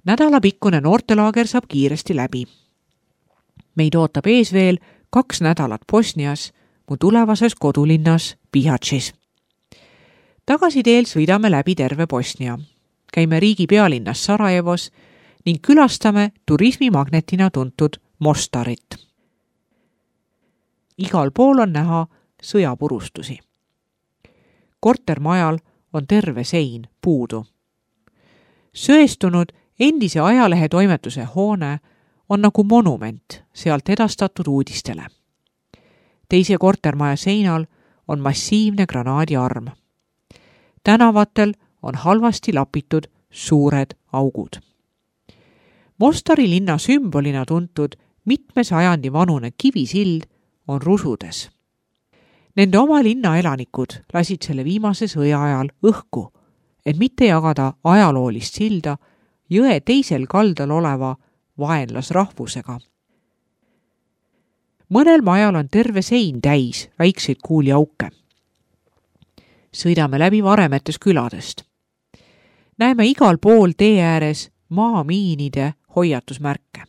Nädalapikkune noortelaager saab kiiresti läbi. Meid ootab ees veel 2 nädalat Bosnias, mu tulevases kodulinnas Bihaćis. Tagasiteel sõidame läbi terve Bosnia. Käime riigi pealinnas Sarajevos ning külastame turismimagnetina tuntud Mostarit. Igal pool on näha sõjapurustusi. Kortermajal on terve sein puudu. Söestunud endise ajalehetoimetuse hoone on nagu monument sealt edastatud uudistele. Teise kortermaja seinal on massiivne granaadiarm. Tänavatel on halvasti lapitud suured augud. Mostari linna sümbolina tuntud mitme sajandi vanune kivisild on rusudes. Nende oma linna elanikud lasid selle viimase sõja ajal õhku, et mitte jagada ajaloolist silda jõe teisel kaldal oleva vaenlasrahvusega. Mõnel majal on terve sein täis väikseid kuuliauke. Sõidame läbi varemetes küladest. Näeme igal pool tee ääres maamiinide hoiatusmärke.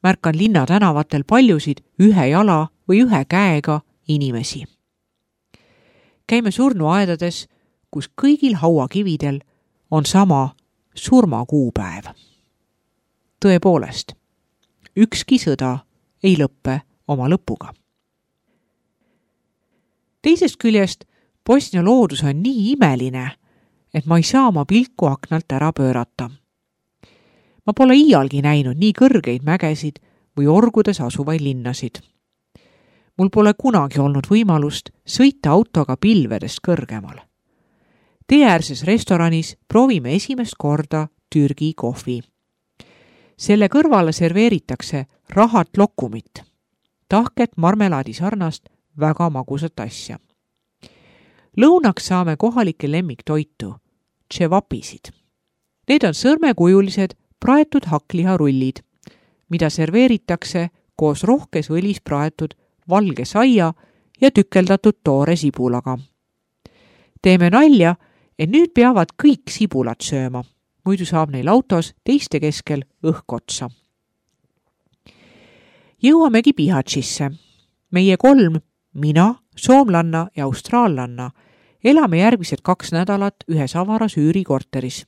Märkan linna tänavatel paljusid ühe jala või ühe käega inimesi. Käime surnuaedades, kus kõigil hauakividel on sama surmakuupäev. Tõepoolest, ükski sõda ei lõppe oma lõpuga. Teisest küljest Bosnia loodus on nii imeline, et ma ei saa oma pilku aknalt ära pöörata. Ma pole iialgi näinud nii kõrgeid mägesid või orgudes asuvaid linnasid. Mul pole kunagi olnud võimalust sõita autoga pilvedest kõrgemal. Teeäärses restoranis proovime esimest korda Türgi kohvi. Selle kõrvale serveeritakse rahat lokumit, tahket marmelaadi sarnast väga magusat asja. Lõunaks saame kohalike lemmiktoitu, tševapisid. Need on sõrmekujulised praetud hakkliharullid, mida serveeritakse koos rohkes õlis praetud valge saia ja tükeldatud toore sibulaga. Teeme nalja, et nüüd peavad kõik sibulat sööma, muidu saab neil autos teiste keskel õhk otsa. Jõuamegi Bihaćisse. Meie 3, mina, soomlanna ja austraallanna, elame järgmised 2 nädalat ühes avaras üürikorteris.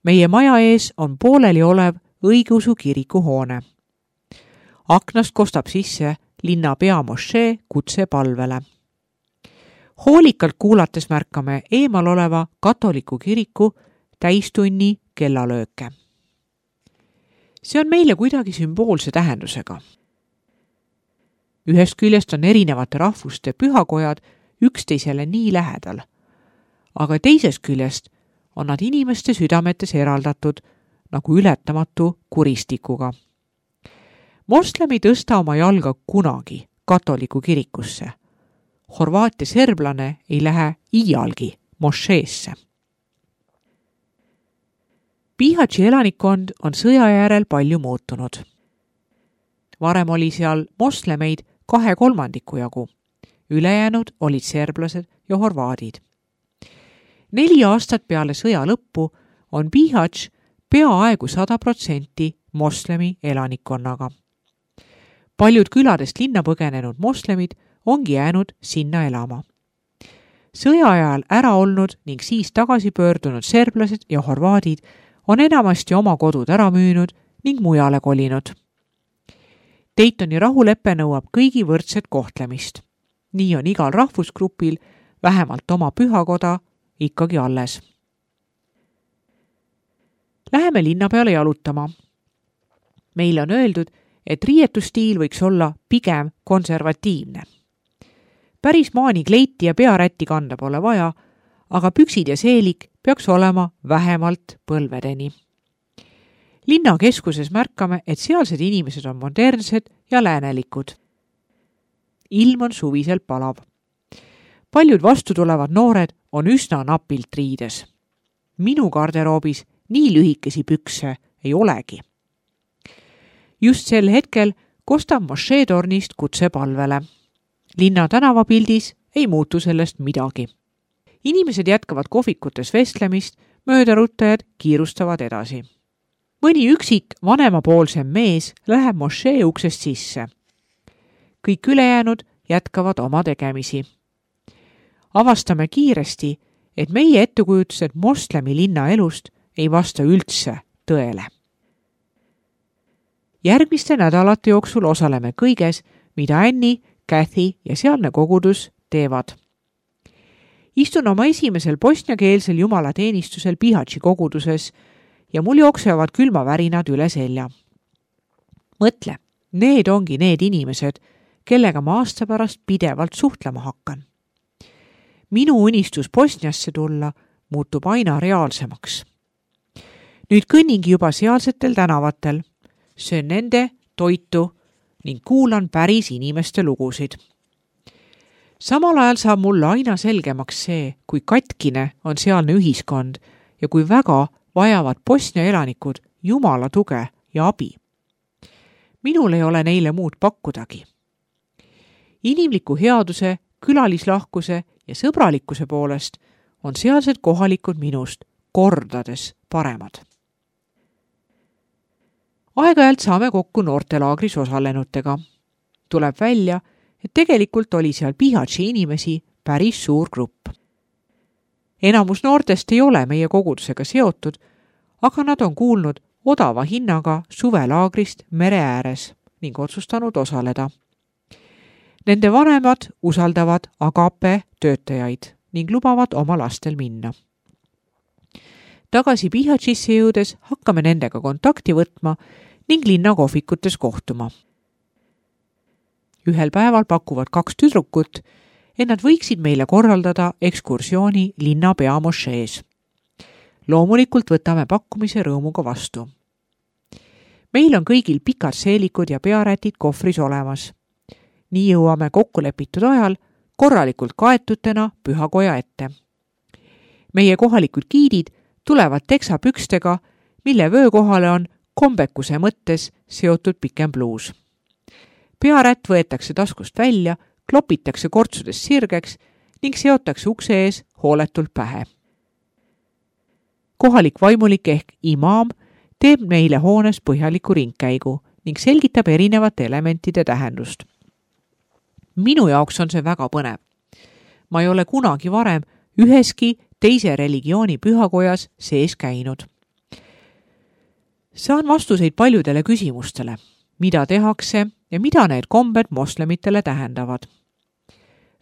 Meie maja ees on pooleli olev õigeusu kirikuhoone. Aknast kostab sisse linna peamošee kutsepalvele. Hoolikalt kuulates märkame eemal oleva katoliku kiriku täistunni kellalööke. See on meile kuidagi sümboolse tähendusega. Ühest küljest on erinevate rahvuste pühakojad üksteisele nii lähedal, aga teisest küljest on nad inimeste südametes eraldatud nagu ületamatu kuristikuga. Moslem ei tõsta oma jalga kunagi katoliku kirikusse. Horvaatia serblane ei lähe iialgi mošeesse. Bihaći elanikkond on sõja järel palju muutunud. Varem oli seal moslemeid 2/3 jagu. Ülejäänud olid serblased ja horvaadid. 4 aastat peale sõja lõppu on Bihać peaaegu 100% moslemi elanikkonnaga. Paljud küladest linna põgenenud moslemid ongi jäänud sinna elama. Sõja ajal ära olnud ning siis tagasi pöördunud serblased ja horvaadid on enamasti oma kodud ära müünud ning mujale kolinud. Daytoni rahulepe nõuab kõigi võrdset kohtlemist. Nii on igal rahvusgrupil vähemalt oma pühakoda ikkagi alles. Läheme linna peale jalutama. Meile on öeldud, et riietustiil võiks olla pigem konservatiivne. Päris maanikleiti ja pearätti kanda pole vaja, aga püksid ja seelik peaks olema vähemalt põlvedeni. Linna keskuses märkame, et sealsed inimesed on modernsed ja läänelikud. Ilm on suviselt palav. Paljud vastutulevad noored on üsna napilt riides. Minu garderoobis nii lühikesi pükse ei olegi. Just sel hetkel kostab mošeetornist kutsepalvele. Linna tänavapildis ei muutu sellest midagi. Inimesed jätkavad kohvikutes vestlemist, möödarutajad kiirustavad edasi. Mõni üksik vanemapoolsem mees läheb mošee uksest sisse. Kõik ülejäänud jätkavad oma tegemisi. Avastame kiiresti, et meie ettekujutused moslemi linna elust ei vasta üldse tõele. Järgmiste nädalate jooksul osaleme kõiges, mida Annie, Kathy ja sealne kogudus teevad. Istun oma esimesel bosniakeelsel jumalateenistusel Bihaći koguduses ja mul jooksevad külmavärinad üle selja. Mõtle, need ongi need inimesed, kellega ma aasta pärast pidevalt suhtlema hakkan. Minu unistus Bosniasse tulla muutub aina reaalsemaks. Nüüd kõnningi juba sealsetel tänavatel, söön nende toitu ning kuulan päris inimeste lugusid. Samal ajal saab mulle aina selgemaks see, kui katkine on sealne ühiskond ja kui väga vajavad Bosnia elanikud Jumala tuge ja abi. Minul ei ole neile muud pakkudagi. Inimliku headuse, külalislahkuse ja sõbralikkuse poolest on sealsed kohalikud minust kordades paremad. Aeg-ajalt saame kokku noortelaagris osalenutega. Tuleb välja, et tegelikult oli seal Bihaći inimesi päris suur grupp. Enamus noortest ei ole meie kogudusega seotud, aga nad on kuulnud odava hinnaga suvelaagrist mere ääres ning otsustanud osaleda. Nende vanemad usaldavad Agape töötajaid ning lubavad oma lastel minna. Tagasi Bihaćisse jõudes hakkame nendega kontakti võtma ning linna kohvikutes kohtuma. Ühel päeval pakuvad 2 tüdrukut, et nad võiksid meile korraldada ekskursiooni linna peamošees. Loomulikult võtame pakkumise rõõmuga vastu. Meil on kõigil pikad seelikud ja pearätid kohvris olemas. Nii jõuame kokkulepitud ajal korralikult kaetutena pühakoja ette. Meie kohalikud giidid tulevad teksapükstega, mille vöökohale on kombekuse mõttes seotud pikem pluus. Pearätt võetakse taskust välja, klopitakse kortsudes sirgeks ning seotakse ukse ees hooletult pähe. Kohalik vaimulik ehk imaam teeb meile hoones põhjaliku ringkäigu ning selgitab erinevate elementide tähendust. Minu jaoks on see väga põnev. Ma ei ole kunagi varem üheski teise religiooni pühakojas sees käinud. Saan vastuseid paljudele küsimustele, mida tehakse ja mida need kombed moslemitele tähendavad.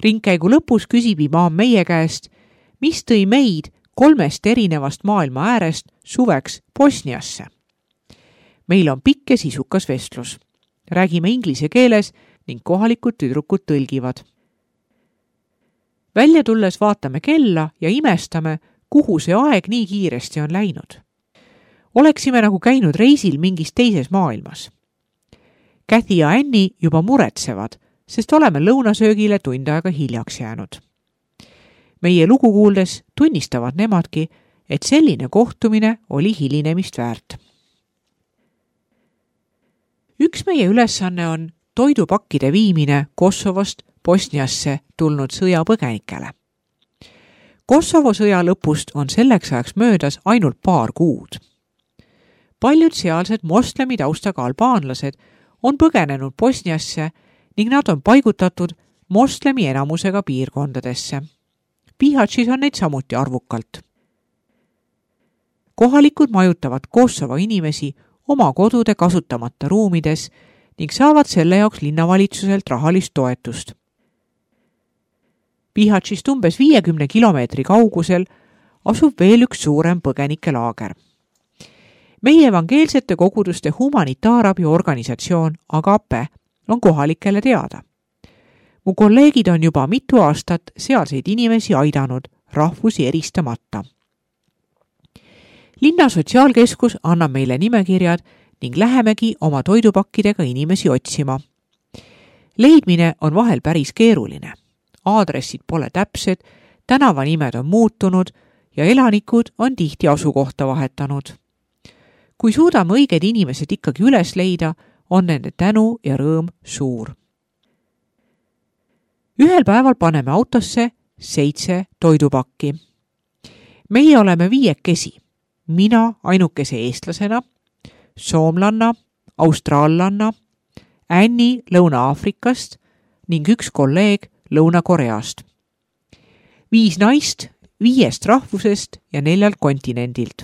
Ringkäigu lõpus küsib imaam meie käest, mis tõi meid 3 erinevast maailma äärest suveks Bosniasse. Meil on pikk ja sisukas vestlus. Räägime inglise keeles ning kohalikud tüdrukud tõlgivad. Välja tulles vaatame kella ja imestame, kuhu see aeg nii kiiresti on läinud. Oleksime nagu käinud reisil mingis teises maailmas. Kathy ja Annie juba muretsevad, sest oleme lõunasöögile tund aega hiljaks jäänud. Meie lugu kuuldes tunnistavad nemadki, et selline kohtumine oli hilinemist väärt. Üks meie ülesanne on toidupakkide viimine Kosovost Bosniasse tulnud sõjapõgenikele. Kosovo sõja lõpust on selleks ajaks möödas ainult paar kuud. Paljud sealsed moslemi taustaga albaanlased on põgenenud Bosniasse ning nad on paigutatud moslemi enamusega piirkondadesse. Bihaćis on neid samuti arvukalt. Kohalikud majutavad Kosovo inimesi oma kodude kasutamata ruumides ning saavad selle jaoks linnavalitsuselt rahalist toetust. Bihaćist umbes 50 kilomeetri kaugusel asub veel üks suurem põgenikelaager. Meie evangeelsete koguduste humanitaarabi organisatsioon Agape on kohalikele teada. Mu kolleegid on juba mitu aastat sealseid inimesi aidanud rahvusi eristamata. Linna sotsiaalkeskus annab meile nimekirjad ning lähemegi oma toidupakkidega inimesi otsima. Leidmine on vahel päris keeruline. Aadressid pole täpsed, tänavanimed on muutunud ja elanikud on tihti asukohta vahetanud. Kui suudame õiged inimesed ikkagi üles leida, on nende tänu ja rõõm suur. Ühel päeval paneme autosse 7 toidupakki. Meie oleme viiekesi, mina ainukese eestlasena, soomlanna, austraallanna, Anni Lõuna-Aafrikast ning üks kolleeg Lõuna-Koreast. 5 naist 5 rahvusest ja 4 kontinendilt.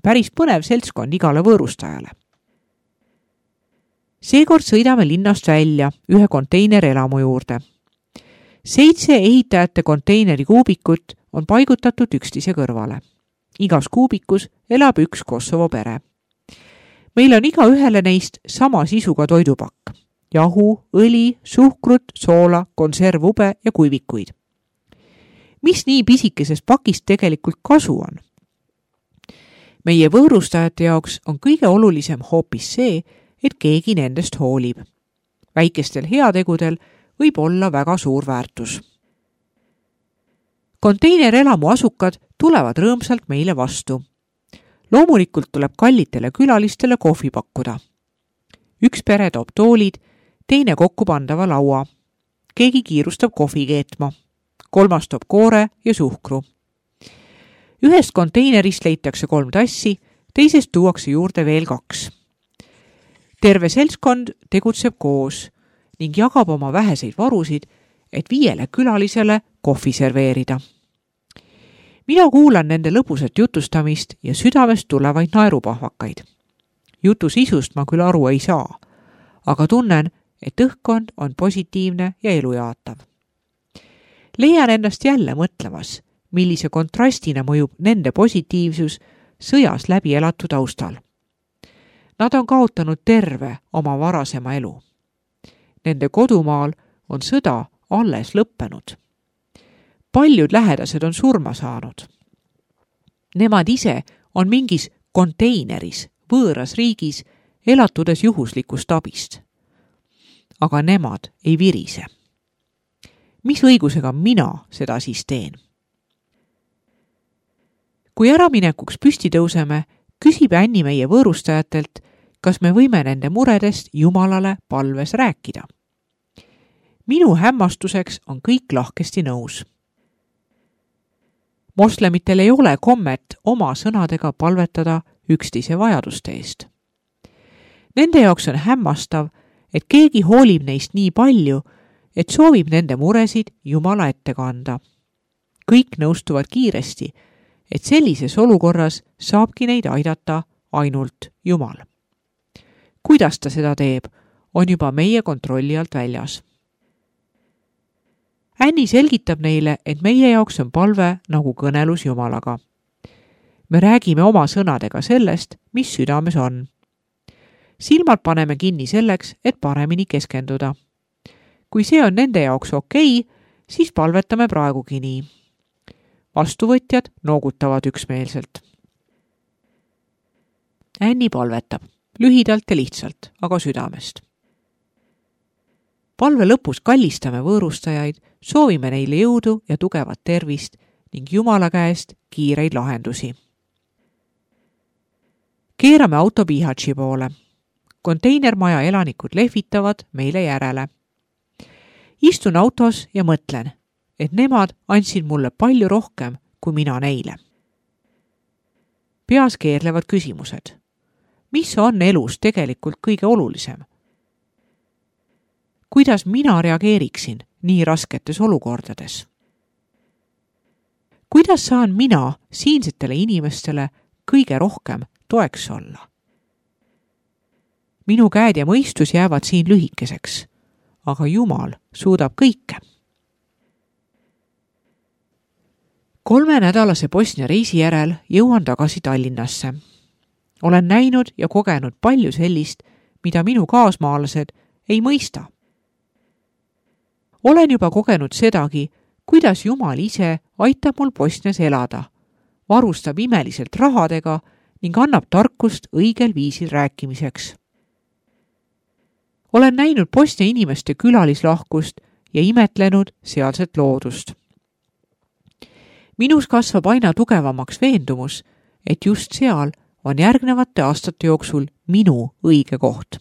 Päris põnev seltskond igale võõrustajale. Seekord sõidame linnast välja ühe konteinerelamu juurde. 7 ehitajate konteineri kuubikut on paigutatud üksteise kõrvale. Igas kuubikus elab üks Kosovo pere. Meil on igaühele neist sama sisuga toidupakk. Jahu, õli, suhkrut, soola, konservube ja kuivikuid. Mis nii pisikesest pakist tegelikult kasu on? Meie võõrustajate jaoks on kõige olulisem hoopis see, et keegi nendest hoolib. Väikestel heategudel võib olla väga suur väärtus. Konteinerelamu asukad tulevad rõõmsalt meile vastu. Loomulikult tuleb kallitele külalistele kohvi pakkuda. Üks pere toob toolid, teine kokku pandava laua. Keegi kiirustab kohvi keetma. 3 toob koore ja suhkru. Ühest konteinerist leitakse 3 tassi, teisest tuuakse juurde veel 2. Terve seltskond tegutseb koos ning jagab oma väheseid varusid, et 5 külalisele kohvi serveerida. Mina kuulan nende lõbusat jutustamist ja südamest tulevaid naerupahvakaid. Jutu sisust ma küll aru ei saa, aga tunnen, et õhkkond on positiivne ja elujaatav. Leian ennast jälle mõtlemas, millise kontrastina mõjub nende positiivsus sõjas läbi elatud taustal. Nad on kaotanud terve oma varasema elu. Nende kodumaal on sõda alles lõppenud. Paljud lähedased on surma saanud. Nemad ise on mingis konteineris, võõras riigis, elatudes juhuslikust abist. Aga nemad ei virise. Mis õigusega mina seda siis teen? Kui äraminekuks püsti tõuseme, küsib Anni meie võõrustajatelt, kas me võime nende muredest Jumalale palves rääkida. Minu hämmastuseks on kõik lahkesti nõus. Moslemitel ei ole kommet oma sõnadega palvetada üksteise vajaduste eest. Nende jaoks on hämmastav, et keegi hoolib neist nii palju, et soovib nende muresid Jumala ette kanda. Kõik nõustuvad kiiresti, et sellises olukorras saabki neid aidata ainult Jumal. Kuidas ta seda teeb, on juba meie kontrolli alt väljas. Anni selgitab neile, et meie jaoks on palve nagu kõnelus Jumalaga. Me räägime oma sõnadega sellest, mis südames on. Silmad paneme kinni selleks, et paremini keskenduda. Kui see on nende jaoks okei, siis palvetame praegugi nii. Vastuvõtjad noogutavad üksmeelselt. Anni palvetab, lühidalt ja lihtsalt, aga südamest. Palve lõpus kallistame võõrustajaid, soovime neile jõudu ja tugevat tervist ning Jumala käest kiireid lahendusi. Keerame auto Bihatši poole. Konteinermaja elanikud lehvitavad meile järele. Istun autos ja mõtlen, et nemad andsid mulle palju rohkem kui mina neile. Peas keerlevad küsimused. Mis on elus tegelikult kõige olulisem? Kuidas mina reageeriksin nii rasketes olukordades? Kuidas saan mina siinsetele inimestele kõige rohkem toeks olla? Minu käed ja mõistus jäävad siin lühikeseks, aga Jumal suudab kõike. 3-nädalase Bosnia reisi järel jõuan tagasi Tallinnasse. Olen näinud ja kogenud palju sellist, mida minu kaasmaalased ei mõista. Olen juba kogenud sedagi, kuidas Jumal ise aitab mul Bosnias elada, varustab imeliselt rahadega ning annab tarkust õigel viisil rääkimiseks. Olen näinud Bosnia inimeste külalislahkust ja imetlenud sealset loodust. Minus kasvab aina tugevamaks veendumus, et just seal on järgnevate aastate jooksul minu õige koht.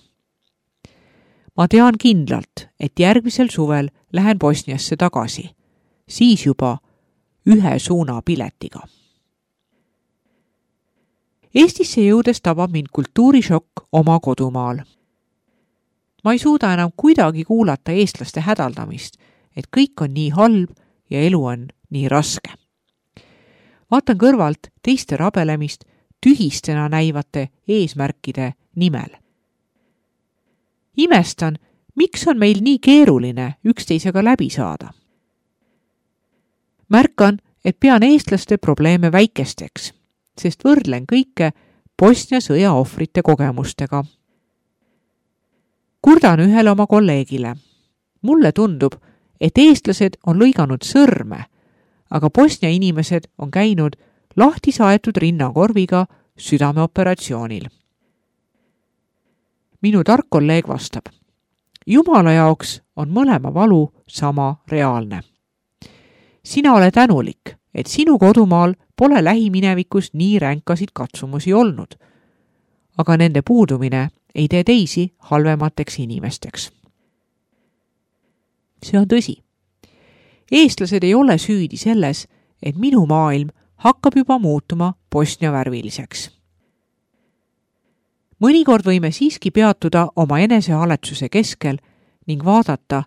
Ma tean kindlalt, et järgmisel suvel lähen Bosniasse tagasi, siis juba 1 suunapiletiga. Eestisse jõudes tabab mind kultuurishokk oma kodumaal. Ma ei suuda enam kuidagi kuulata eestlaste hädaldamist, et kõik on nii halb ja elu on nii raske. Vaatan kõrvalt teiste rabelemist tühistena näivate eesmärkide nimel. Imestan, miks on meil nii keeruline üksteisega läbi saada. Märkan, et pean eestlaste probleeme väikesteks, sest võrdlen kõike Bosnia sõja ohvrite kogemustega. Kurdan ühele oma kolleegile. Mulle tundub, et eestlased on lõiganud sõrme, aga Bosnia inimesed on käinud lahti saetud rinnakorviga südameoperatsioonil. Minu tark kolleeg vastab. Jumala jaoks on mõlema valu sama reaalne. Sina ole tänulik, et sinu kodumaal pole lähiminevikus nii ränkasid katsumusi olnud, aga nende puudumine ei tee teisi halvemateks inimesteks. See on tõsi. Eestlased ei ole süüdi selles, et minu maailm hakkab juba muutuma Bosnia värviliseks. Mõnikord võime siiski peatuda oma enesehaletsuse keskel ning vaadata,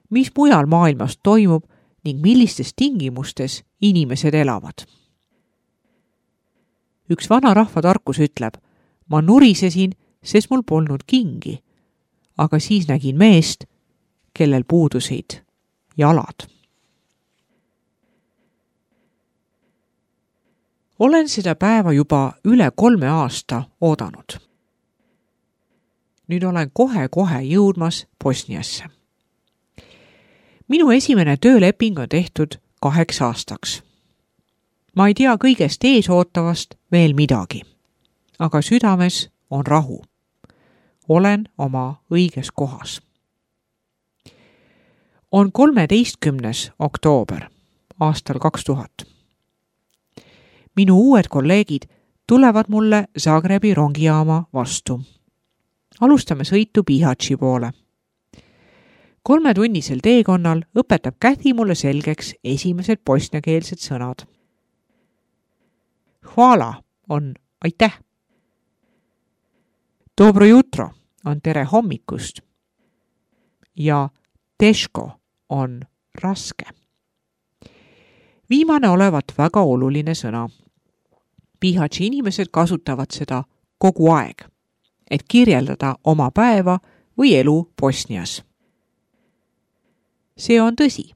mis mujal maailmas toimub ning millistes tingimustes inimesed elavad. Üks vana rahvatarkus ütleb, ma nurisesin, sest mul polnud kingi, aga siis nägin meest, kellel puudusid jalad. Olen seda päeva juba üle 3 aasta oodanud. Nüüd olen kohe jõudmas Bosniasse. Minu esimene tööleping on tehtud 8 aastaks. Ma ei tea kõigest eesootavast veel midagi, aga südames on rahu. Olen oma õiges kohas. On 13. oktoober aastal 2000. Minu uued kolleegid tulevad mulle Zagrebi rongijaama vastu. Alustame sõitu Bihaći poole. 3-tunnisel teekonnal õpetab Käthi mulle selgeks esimesed bosniakeelsed sõnad. Hvala on aitäh. Dobro jutro on tere hommikust. Ja teško on raske. Viimane olevat väga oluline sõna. Bihaći inimesed kasutavad seda kogu aeg, et kirjeldada oma päeva või elu Bosnias. See on tõsi.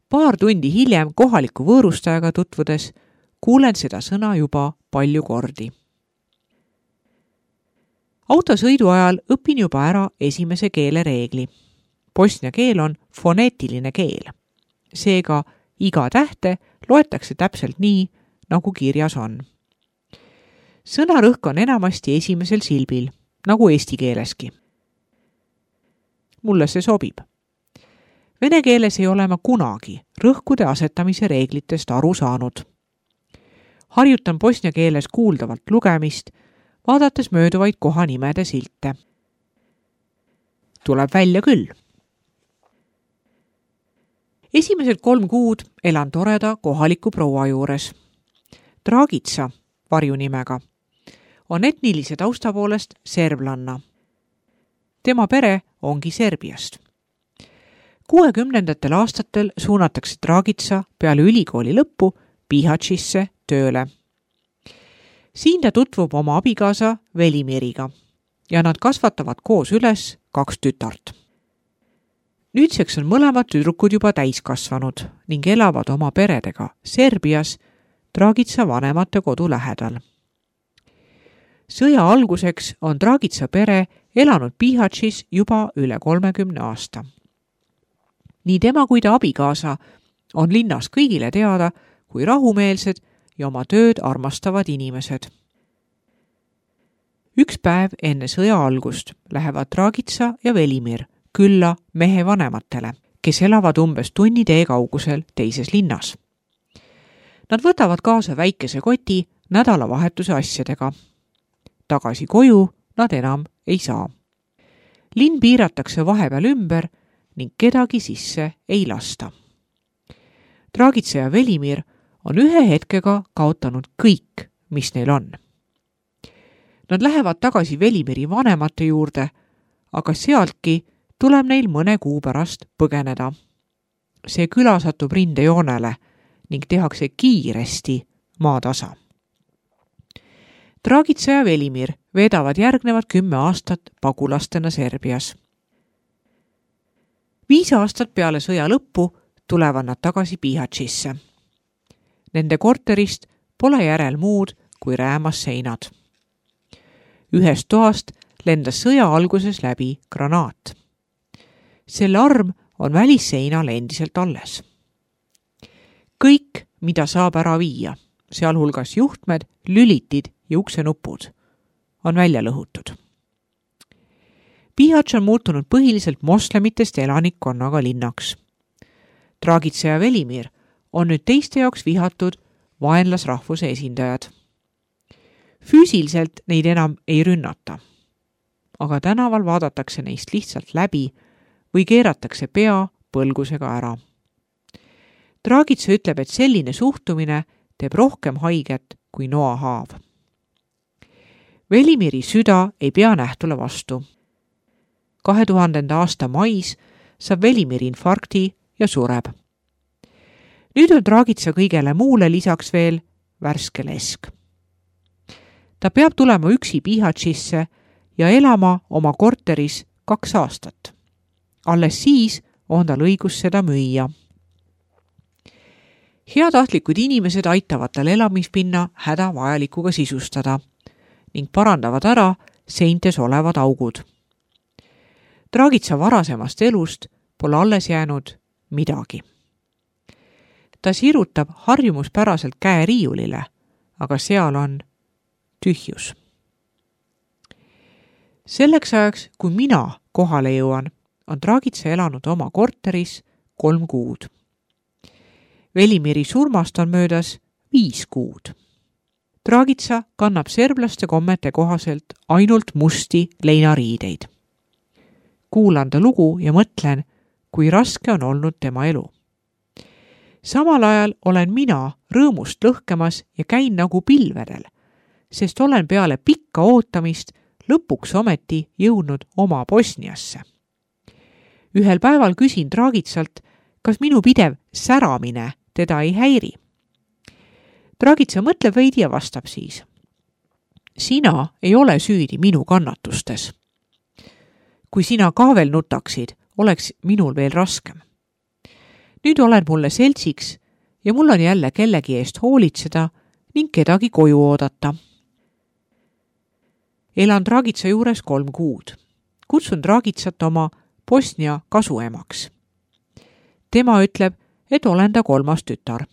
Paar tundi hiljem kohaliku võõrustajaga tutvudes kuulen seda sõna juba palju kordi. Autosõidu ajal õpin juba ära esimese keele reegli. Bosnia keel on foneetiline keel. Seega iga tähte loetakse täpselt nii, nagu kirjas on. Sõnarõhk on enamasti esimesel silbil, nagu eesti keeleski. Mulle see sobib. Vene keeles ei ole ma kunagi rõhkude asetamise reeglitest aru saanud. Harjutan bosnia keeles kuuldavalt lugemist, vaadates mööduvaid kohanimede silte. Tuleb välja küll. Esimesed 3 kuud elan toreda kohaliku proua juures. Dragica varjunimega on etnilise tausta poolest serblanna. Tema pere ongi Serbiast. 60. aastatel suunatakse Dragica peale ülikooli lõppu Bihaćisse tööle. Siin ta tutvub oma abikaasa Velimiriga ja nad kasvatavad koos üles 2 tütart. Nüüdseks on mõlemad tüdrukud juba täiskasvanud ning elavad oma peredega Serbias Dragica vanemate kodu lähedal. Sõja alguseks on Dragica pere elanud Bihaćis juba üle 30 aasta. Nii tema kui ta abikaasa on linnas kõigile teada kui rahumeelsed ja oma tööd armastavad inimesed. Üks päev enne sõja algust lähevad Dragica ja Velimir külla mehe vanematele, kes elavad umbes tunni tee kaugusel teises linnas. Nad võtavad kaasa väikese koti nädalavahetuse asjadega. Tagasi koju nad enam ei saa. Linn piiratakse vahepeal ümber ning kedagi sisse ei lasta. Dragica ja Velimir on ühe hetkega kaotanud kõik, mis neil on. Nad lähevad tagasi Velimiri vanemate juurde, aga sealtki tuleb neil mõne kuu pärast põgeneda. See küla satub rindejoonele ning tehakse kiiresti maatasa. Dragica ja Velimir veedavad järgnevad 10 aastat pagulastena Serbias. 5 aastat peale sõja lõppu tulevad nad tagasi Bihaćisse. Nende korterist pole järel muud kui räämas seinad. Ühest toast lendas sõja alguses läbi granaat. Selle arm on välisseinal endiselt alles. Kõik, mida saab ära viia, sealhulgas juhtmed, lülitid ja uksenupud, on välja lõhutud. Bihać on muutunud põhiliselt moslemitest elanikkonnaga linnaks. Dragica ja Velimir on nüüd teiste jaoks vihatud vaenlasrahvuse esindajad. Füüsiliselt neid enam ei rünnata, aga tänaval vaadatakse neist lihtsalt läbi või keeratakse pea põlgusega ära. Dragica ütleb, et selline suhtumine teeb rohkem haiget kui noahaav. Velimiri süda ei pea nähtule vastu. 2000. aasta mais saab Velimir infarkti ja sureb. Nüüd on Dragica kõigele muule lisaks veel värske lesk. Ta peab tulema üksi Bihaćisse ja elama oma korteris 2 aastat. Alles siis on tal õigus seda müüa. Heatahtlikud inimesed aitavad tal elamispinna hädavajalikuga sisustada ning parandavad ära seintes olevad augud. Dragica varasemast elust pole alles jäänud midagi. Ta sirutab harjumuspäraselt käe riiulile, aga seal on tühjus. Selleks ajaks, kui mina kohale jõuan, on Dragica elanud oma korteris 3 kuud. Velimiri surmast on möödas 5 kuud. Dragica kannab serblaste kommete kohaselt ainult musti leinariideid. Kuulan ta lugu ja mõtlen, kui raske on olnud tema elu. Samal ajal olen mina rõõmust lõhkemas ja käin nagu pilvedel, sest olen peale pikka ootamist lõpuks ometi jõudnud oma Bosniasse. Ühel päeval küsin Dragicalt, kas minu pidev säramine teda ei häiri. Dragica mõtleb veidi ja vastab siis. Sina ei ole süüdi minu kannatustes. Kui sina ka veel nutaksid, oleks minul veel raskem. Nüüd olen mulle seltsiks ja mul on jälle kellegi eest hoolitseda ning kedagi koju oodata. Elan Dragica juures 3 kuud. Kutsun Dragicat oma Bosnia kasuemaks. Tema ütleb, et olen ta 3. tütar.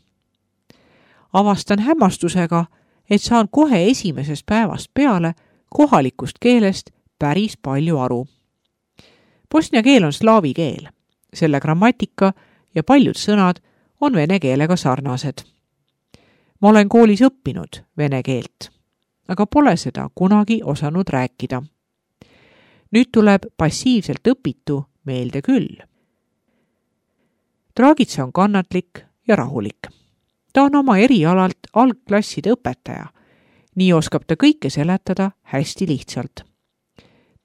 Avastan hämmastusega, et saan kohe esimesest päevast peale kohalikust keelest päris palju aru. Bosnia keel on slaavi keel. Selle grammatika ja paljud sõnad on vene keelega sarnased. Ma olen koolis õppinud vene keelt, aga pole seda kunagi osanud rääkida. Nüüd tuleb passiivselt õpitu meelde küll. Dragica on kannatlik ja rahulik. Ta on oma erialalt algklasside õpetaja. Nii oskab ta kõike seletada hästi lihtsalt.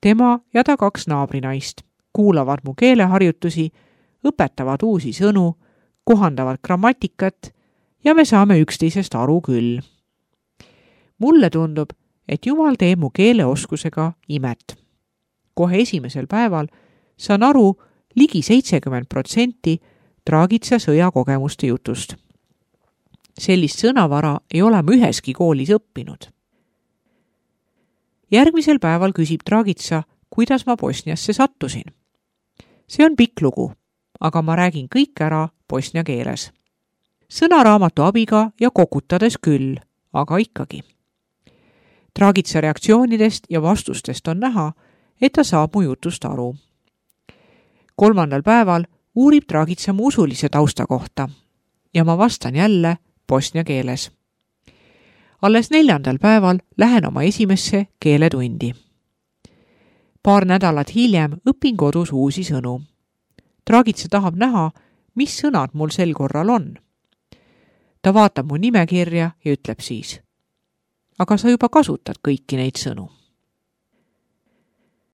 Tema ja ta 2 naabrinaist kuulavad mu keeleharjutusi, õpetavad uusi sõnu, kohandavad grammatikat ja me saame üksteisest aru küll. Mulle tundub, et Jumal teeb mu keeleoskusega imet. Kohe esimesel päeval saan aru ligi 70% Dragica sõjakogemuste jutust. Sellist sõnavara ei ole ma üheski koolis õppinud. Järgmisel päeval küsib Dragica, kuidas ma Bosniasse sattusin. See on pikk lugu, aga ma räägin kõik ära bosnia keeles. Sõnaraamatu abiga ja kokutades küll, aga ikkagi. Dragica reaktsioonidest ja vastustest on näha, et ta saab mu jutust aru. 3. päeval uurib Dragica mu usulise tausta kohta ja ma vastan jälle bosnia keeles. Alles 4. päeval lähen oma esimesse keeletundi. Paar nädalat hiljem õpin kodus uusi sõnu. Dragica tahab näha, mis sõnad mul sel korral on. Ta vaatab mu nimekirja ja ütleb siis, aga sa juba kasutad kõiki neid sõnu.